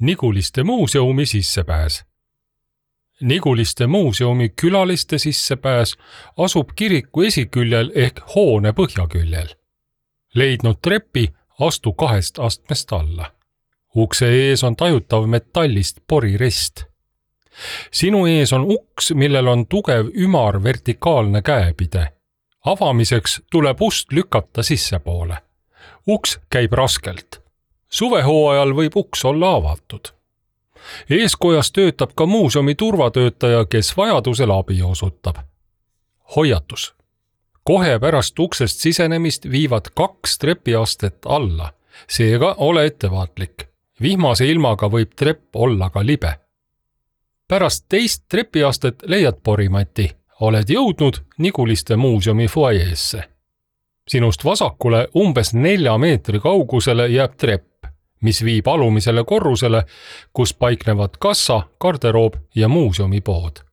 Niguliste muuseumi sissepääs. Niguliste muuseumi külaliste sissepääs asub kiriku esiküljel ehk hoone põhjaküljel. Leidnud trepi, astu 2 astmest alla. Ukse ees on tajutav metallist porirest. Sinu ees on uks, millel on tugev ümar vertikaalne käepide. Avamiseks tuleb ust lükata sissepoole. Uks käib raskelt. Suvehooajal võib uks olla avatud. Eeskojas töötab ka muuseumi turvatöötaja, kes vajadusel abi osutab. Hoiatus. Kohe pärast uksest sisenemist viivad 2 trepiastet alla. Seega ole ettevaatlik. Vihmase ilmaga võib trepp olla ka libe. Pärast 2 trepiastet leiad porimati. Oled jõudnud Niguliste muuseumi fuajeesse. Sinust vasakule umbes 4 meetri kaugusele jääb trepp, mis viib alumisele korrusele, kus paiknevad kassa, garderoob ja muuseumipood.